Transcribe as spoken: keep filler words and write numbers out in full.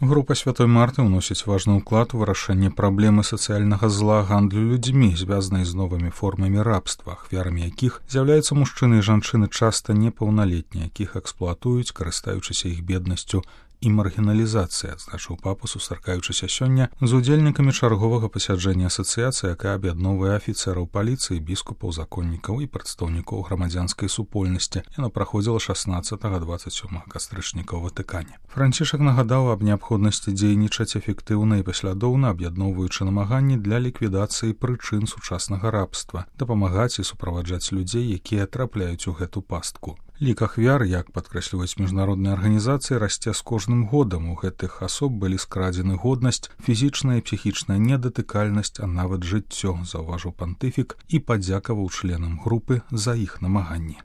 Група Святой Марты ўносіць важны ўклад у вырашэнне праблемы сацыяльнага зла гандлю людзьмі, звязанай з новымі формамі рабства, ахвярамі якіх з'яўляюцца мужчыны і жанчыны часта непаўналетнія, якіх эксплуатуюць, карыстаючыся іх беднасцю і маргіналізацыя, адзначыў папа, сустракаючыся сёння з удзельнікамі чарговага пасяджэння асацыяцыі, якая аб'ядноўвае афіцэраў паліцыі, біскупаў, законнікаў і прадстаўнікоў грамадзянскай супольнасці. Яна праходзіла шаснаццатага - дваццаць сёмага кастрычніка ў Ватыкане. Францішак нагадаў аб неабходнасці дзейнічаць эфектыўна і паслядоўна, аб'ядноўваючы намаганні для ліквідацыі прычын сучаснага рабства, дапамагаць і суправаджаць людзей, якія трапляюць у гэту пастку. Лік ахвяр, як падкрэсліваюць міжнародныя арганізацыі, расце з кожным годам. У гэтых асоб былі скрадзены годнасць, фізічная і псіхічная недатыкальнасць, а нават жыццё, заўважыў пантыфік і падзякаваў членам групы за іх намаганні.